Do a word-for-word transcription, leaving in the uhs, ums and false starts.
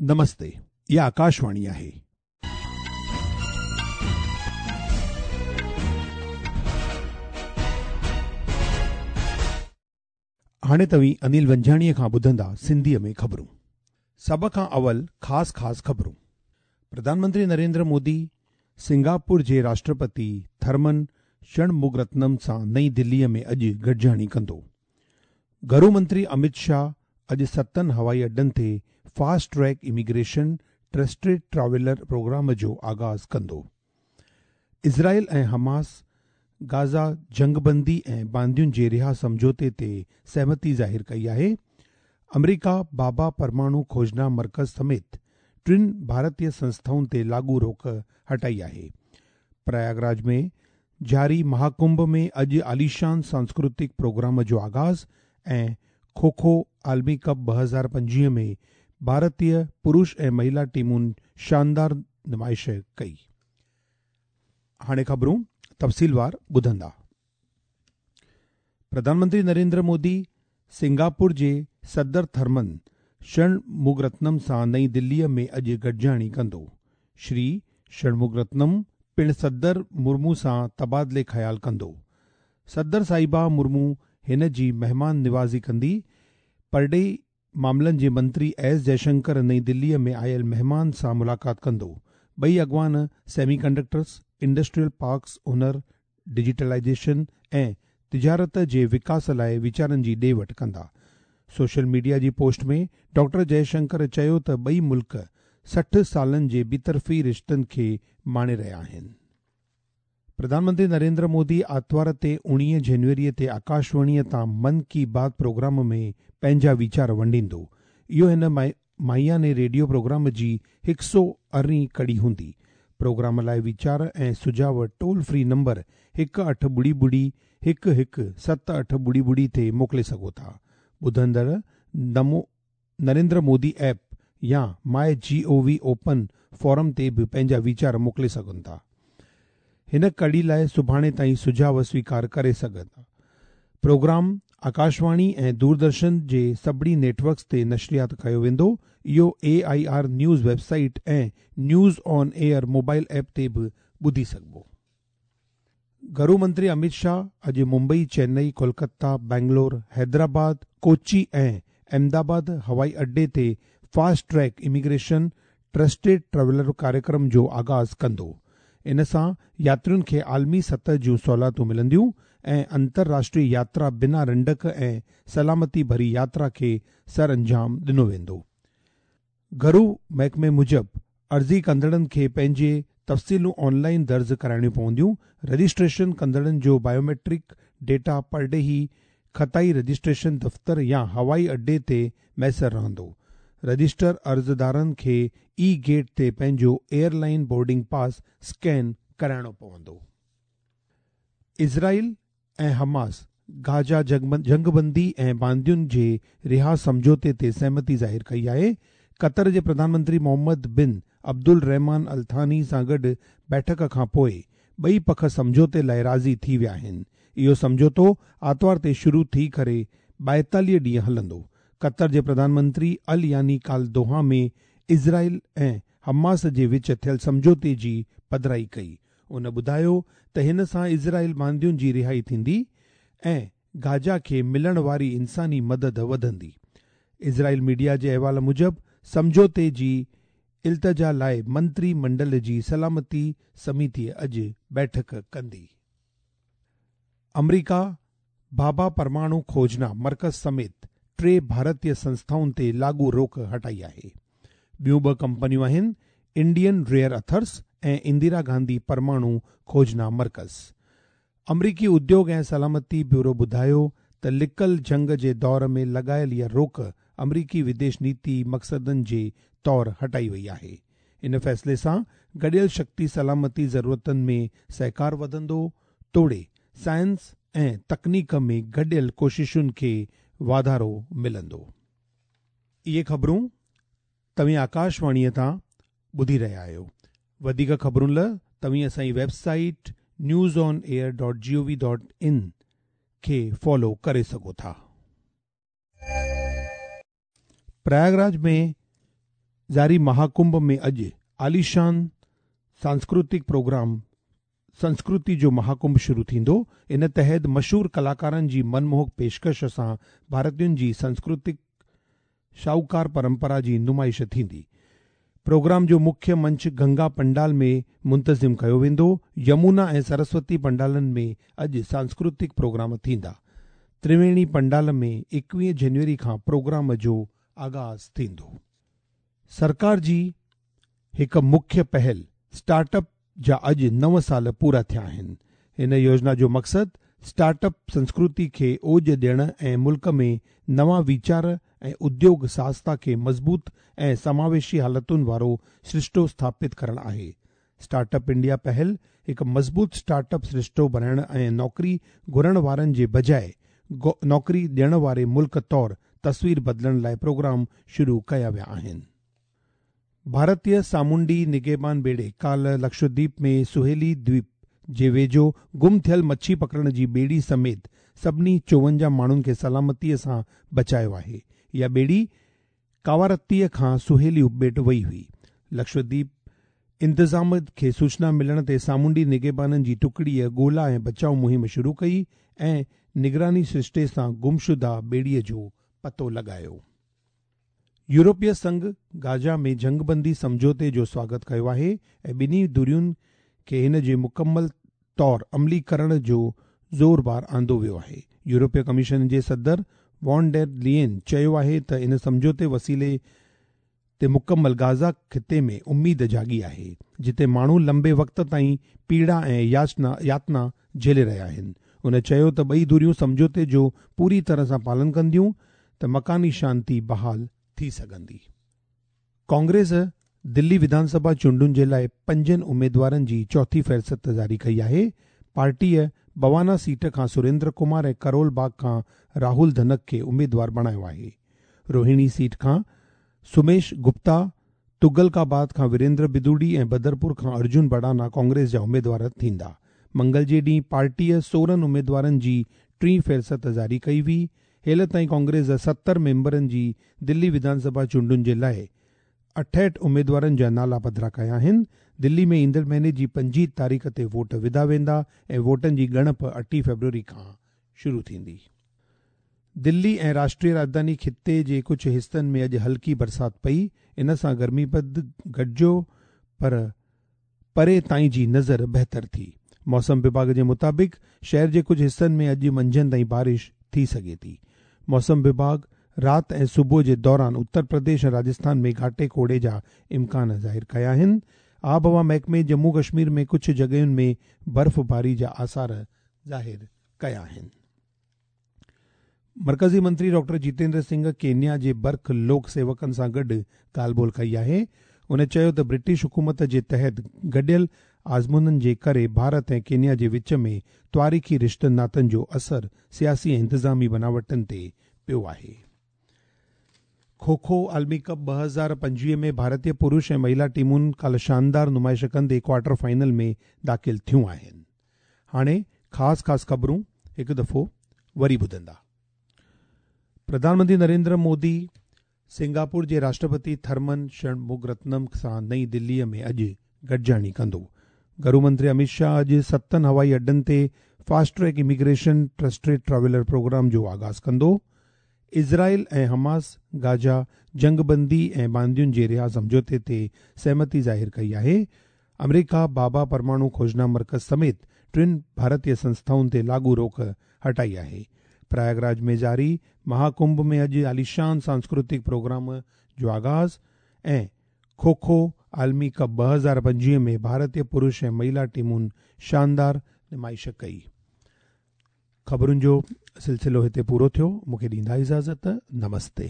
नमस्ते, इहा आकाशवाणी आहे। हाणे तव्हीं अनिल वंजाणीअ खां ॿुधंदा सिंधीअ में ख़बरूं। सभ खां अवल ख़ासि ख़ासि ख़बरूं। प्रधानमंत्री नरेंद्र मोदी सिंगापुर जे राष्ट्रपति थर्मन षणमुगरत्नम सां नई दिल्लीअ में अॼु गॾिजाणी कंदो। घरू मंत्री अमित शाह अॼु सतनि हवाई अॾनि ते fast track immigration trusted traveller programme जो आगाज़ कंदो। इज़राइल ऐं हमास गाज़ा जंगबंदी ऐं बांदियुनि जे रिहा सम्झौते ते सहमति ज़ाहिर कई आहे। अमरीका बाबा परमाणु खोजना मर्कज़ समेत टिनि भारतीय संस्थाउनि ते लागू रोक हटाई आहे। प्रयागराज में जारी महाकुंभ में अॼु आलीशान सांस्कृतिक प्रोग्राम जो आगाज़ ऐं खो-खो आलमी कप ॿ हज़ार पंजवीह में भारतीय पुरुष ऐं महिला टीमुनि शानदार नुमाइश कई। हाणे ख़बरूं तफ़सीलवार ॿुधंदा। प्रधानमंत्री नरेंद्र मोदी सिंगापुर जे सदर थर्मन षणमुगरत्नम सां नई दिल्लीअ में अॼु गॾिजाणी कंदो। श्री षणमुगरत्नम पिणु सदर मुर्मू सां तबादिले ख़्याल कंदो। सदर साहिबा मुर्मू हिन जी महिमान निवाज़ी कंदी। परॾेही मामलनि जे मंत्री एस जयशंकर नई दिल्लीअ में आयल महिमान सां मुलाक़ात कंदो। ॿई अॻवान सेमीकंडक्टर्स, इंडस्ट्रियल पार्क्स, हुनर, डिजिटलाइजेशन ऐं तिजारत जे विकास लाइ वीचारनि जी ॾे वठि कंदा। सोशल मीडिया जी पोस्ट में डॉक्टर जयशंकर चयो त ॿई मुल्क सठि सालनि जे ॿितरफ़ी रिश्तनि खे माणे रहिया आहिनि। प्रधानमंत्री नरेंद्र मोदी आतिवार ते उणिवीह जनवरीअ ते आकाशवाणीअ तां मन की बात प्रोग्राम में पंहिंजा वीचार वंडींदो। इहो हिन माहियाने रेडियो प्रोग्राम जी हिकु सौ अरिड़हीं कड़ी हूंदी। प्रोग्राम लाइ वीचार ऐं सुझाव टोल फ्री नंबर हिकु अठ ॿुड़ी ॿुड़ी हिकु हिकु सत अठ ॿुड़ी ॿुड़ी ते मोकिले सघो था। ॿुधंदड़ नमो नरेंद्र मोदी ऐप या my G O V open forum ते बि पंहिंजा वीचार मोकिले सघनि था। हिन कड़ी लाइ सुभाणे ताईं सुझाव स्वीकार करे सघंदा। प्रोग्राम आकाशवाणी ऐं दूरदर्शन जे सभिनी नेटवर्क्स ते नशरियात कयो वेंदो। इहो A I R news website ऐं news on air mobile app ते बि ॿुधी सघिबो। घरू मंत्री अमित शाह अॼु मुंबई, चेन्नई, कोलकाता, बेंगलोर, हैदराबाद, कोची ऐं अहमदाबाद हवाई अड्डे ते fast track immigration trusted traveller कार्यक्रम जो आगाज़ कंदो। इन सां यात्रियुनि खे आलमी सतह जूं सहूलियतूं मिलंदियूं ऐं अंतरराष्ट्रीय यात्रा बिना रंडक ऐं सलामती भरी यात्रा खे सर अंजाम ॾिनो वेंदो। घरू महकमे मूजिबि अर्ज़ी कंदड़नि खे पंहिंजे तफ़सीलूं ऑनलाइन दर्ज कराइणियूं पवंदियूं। रजिस्ट्रेशन कंदड़नि जो बायोमेट्रिक डेटा परॾेही ख़ताई रजिस्ट्रेशन दफ़्तर या हवाई अड्डे ते मयसर रहंदो। रजिस्टर अर्ज़दारनि खे ई गेट ते पंहिंजो एयरलाइन बोर्डिंग पास स्कैन कराइणो पवंदो। इज़राइल ऐं हमास गाज़ा जंगबंदी ऐं बांदियुनि जे रिहा सम्झौते ते सहमति ज़ाहिर कई आहे। क़तर जे प्रधानमंत्री मोहम्मद बिन अब्दुल रहमान अल-थानी सां गॾु बैठक खां पोइ ॿई पख सम्झौते लाइ राज़ी थी विया आहिनि। इहो सम्झौतो आतिवार ते शुरू थी करे ॿाएतालीह ॾींहं हलंदो। क़तर जे प्रधानमंत्री अल यानी काल दोहा में इज़राइल ऐं हमास जे विच थियल सम्झौते जी पधराई कई। उन ॿुधायो त हिन सां इज़राइल बांदियुनि जी रिहाई थींदी ऐं गाज़ा खे मिलण वारी इंसानी मदद वधंदी। इज़राइल मीडिया जे अहवाल मूजिबि सम्झौते जी इल्तिजा लाइ मंत्री मंडल जी सलामती समिति अॼु बैठक कंदी। अमरीका बाबा परमाणु खोजना मर्कज़ समेत टे भारतीय संस्थाउनि ते लागू रोक हटाई आहे। ॿियूं ॿ कंपनियूं आहिनि इंडियन रेयर अथर्स ऐं इंदिरा गांधी परमाणु खोजना मर्कज़। अमरीकी उद्योग ऐं सलामती ब्यूरो ॿुधायो त लिकल जंग जे दौर में लॻायल इहा रोक अमरीकी विदेश नीति मक़सदनि जे तौर हटाई वई आहे। इन फ़ैसिले सां गॾियल शक्ति सलामती ज़रूरतुनि में सहकार वधंदो तोड़े साइंस ऐं तकनीक में गॾियल कोशिशुनि खे वाधारो मिलंदो। इहे ख़बरूं तव्हीं आकाशवाणीअ तां ॿुधी रहिया आहियो। वधीक ख़बरुनि लाइ तव्हीं असांजी website news on air dot G O V dot in खे फॉलो करे सघो था। प्रयागराज में جاري مهاڪنڀ ۾ اڄ عاليشان سانسڪرتڪ پروگرام سنسڪرتي جو مهاڪنڀ شروع ٿيندو. ان تحت مشهور ڪلاڪارن جي منموهڪ پيشڪش سان ڀارتين جي سانسڪرتڪ شاهوڪار پرمپرا جي نمائش ٿيندي. پروگرام جو مکيه منچ گنگا پنڊال ۾ منتظم ڪيو ويندو. يمنا ۽ سرسوتي پنڊالن ۾ اڄ سانسڪرتڪ پروگرام ٿيندا. ترويڻي پنڊال ۾ ايڪويهه جنوري کان پروگرام جو آغاز ٿيندو. سرڪار جي هڪ مکيه پهل اسٽارٽ اپ جا اڄ نو سال پورا ٿيا آهن. هن يوجنا جو مقصد اسٽارٽ اپ سنسڪرتي کي اوج ڏيڻ ۽ ملڪ ۾ نوان ويچار ۽ اديوگ ساهستا کي مضبوط ۽ سماويشي حالتن وارو سرشتو اسٿاپت ڪرڻ آهي. اسٽارٽ اپ انڊيا پهل هڪ مضبوط اسٽارٽ اپ سرشتو بڻائڻ ۽ نوڪري گهرڻ وارن جي بجاءِ نوڪري ڏيڻ واري ملڪ طور تصوير بدلڻ لاءِ پروگرام شروع ڪيا ويا آهن. ڀارتيه سامونڊي نگهبان ٻيڙي ڪالهه لڪشدويپ ۾ سهيلي دويپ جي ويجهو گم ٿيل مڇي پڪڙڻ جي ٻيڙي سميت سڀني چوونجاهه ماڻهن کي سلامتيءَ سان بچايو آهي. اها ٻيڙي ڪاوارتيءَ کان سهيلي اپٻيٽ وئي هئي. لڪشدويپ انتظام کي سوچنا ملڻ تي سامونڊي نگهبانن جي ٽڪڙيءَ ڳولا ۽ بچاءُ مهم شروع ڪئي ۽ نگراني سرشتي سان گمشده ٻيڙيءَ جو پتو لڳايو. يورپي سنگهه گازا ۾ جنگبندي سمجهوتي جو سواگت ڪيو آهي ۽ ٻنهي ڌرين کي هن جي مڪمل طور عملي ڪرڻ جو زور بار آندو ويو آهي. يورپي ڪميشن جي صدر وان ڊير لين چيو آهي ته ان سمجهوتي وسيلي تي مڪمل گازا خطي ۾ اميد جاڳي آهي، جتي ماڻهو لمبي وقت تائين پيڙا ۽ ياچنا ياتنا جهيلي رهيا آهن. هن چيو ته ٻئي ڌريون سمجهوتي جو پوري طرح سان پالن ڪنديون ته مڪاني شانتي بحال ٿي سگهندي. ڪانگريس دلي وڌانسڀا چونڊن جي لاءِ پنجن اميدوارن جي چوٿين فهرست جاري ڪئي آهي. پارٽيءَ بوانا سيٽ کان سريندر ڪمار ۽ ڪرول باغ کان راهول ڌنڪ کي اميدوار بڻايو آهي. روهڻي سيٽ کان سميش گپتا، تغلقآباد کان ويريندر بدوڙي ۽ بدرپور کان ارجن بڙانا ڪانگريس جا اميدوار ٿيندا. منگل جي ڏينهن پارٽيءَ سورهن اميدوارن جي ٽين فهرست جاري ڪئي هئي. هيل تائين ڪانگريس ستر ميمبرن جي دلي وڌانسڀا چونڊن جي لاءِ اٺهٺ اميدوارن جا نالا پڌرا ڪيا آهن. دلي ۾ ايندڙ مهيني جي پنجويهه تاريخ تي ووٽ وڌا ويندا ۽ ووٽن جي ڳڻپ اٺين فيبروري کان شروع ٿيندي. دلي ۽ راشٽريه راڄڌاني خطي جي ڪجهه حصن ۾ اڄ هلڪي برسات پئي. ان سان گرمي پد گهٽجيو پر پري تائين جي نظر بهتر ٿي. موسم وڀاڳ جي مطابق شهر جي ڪجهه حصن ۾ اڄ منجهند تائين بارش ٿي سگهي ٿي. موسم وڀاڳ رات ۽ صبح جي دوران اتر پرديش ۽ راجسٿان ۾ گهاٽي ڪوهيڙي جا امڪان ظاهر ڪيا آهن. آبهوا محڪمي ڄمون ڪشمير ۾ ڪجهه جڳهين ۾ برفباري جا آثار ظاهر ڪيا آهن. مرڪزي منتري ڊاڪٽر جتيندر سنگهه ڪينيا جي برک لوڪ سيوڪن سان گڏ ڳالهه ٻولهه ڪئي آهي. هن چيو ته برٽش حڪومت جي تحت گڏيل آزمودن جي ڪري ڀارت ۽ ڪينيا جي وچ ۾ تواريخي رشتن ناتن جو اثر سياسي ۽ انتظامي بناوٽن تي پيو آهي. کو کو عالمي ڪپ ٻه هزار پنجويهه ۾ ڀارتيه پرش ۽ مهلا ٽيمن ڪالهه شاندار نمائش ڪندي ڪوارٽر فائنل ۾ داخل ٿيون آهن. هاڻي خاص خاص خبرون هڪ دفعو وري ٻڌندا. پرڌان منتري نريندر مودي سنگاپور جي راشٽرپتي ٿرمن شڻمگرتنم سان نئين دليءَ ۾ اڄ گڏجاڻي ڪندو. گهرو منتري امت شاهه اڄ ستن هوائي اڏن تي fast track immigration trusted traveller programme جو آغاز ڪندو. اسرائيل ۽ حماس گازا جنگبندي ۽ باندين جي رها سمجهوتي تي سهمتي ظاهر ڪئي آهي. آمريڪا بابا پرماڻو کوجنا مرڪز سميت ٽن ڀارتيه سنسٿائن تي لاڳو روڪ هٽائي آهي. پرياگراج ۾ جاري مهاڪنڀ ۾ اڄ عاليشان سانسڪرتڪ پروگرام جو آغاز ۽ کو کو عالمي ڪپ ٻه هزار پنجويهه ۾ ڀارتيه پرش ۽ مهلا ٽيمن شاندار نمائش ڪئي. خبرن جو سلسلو هتي پورو ٿيو. مون کي ڏيندا اجازت. نمستي.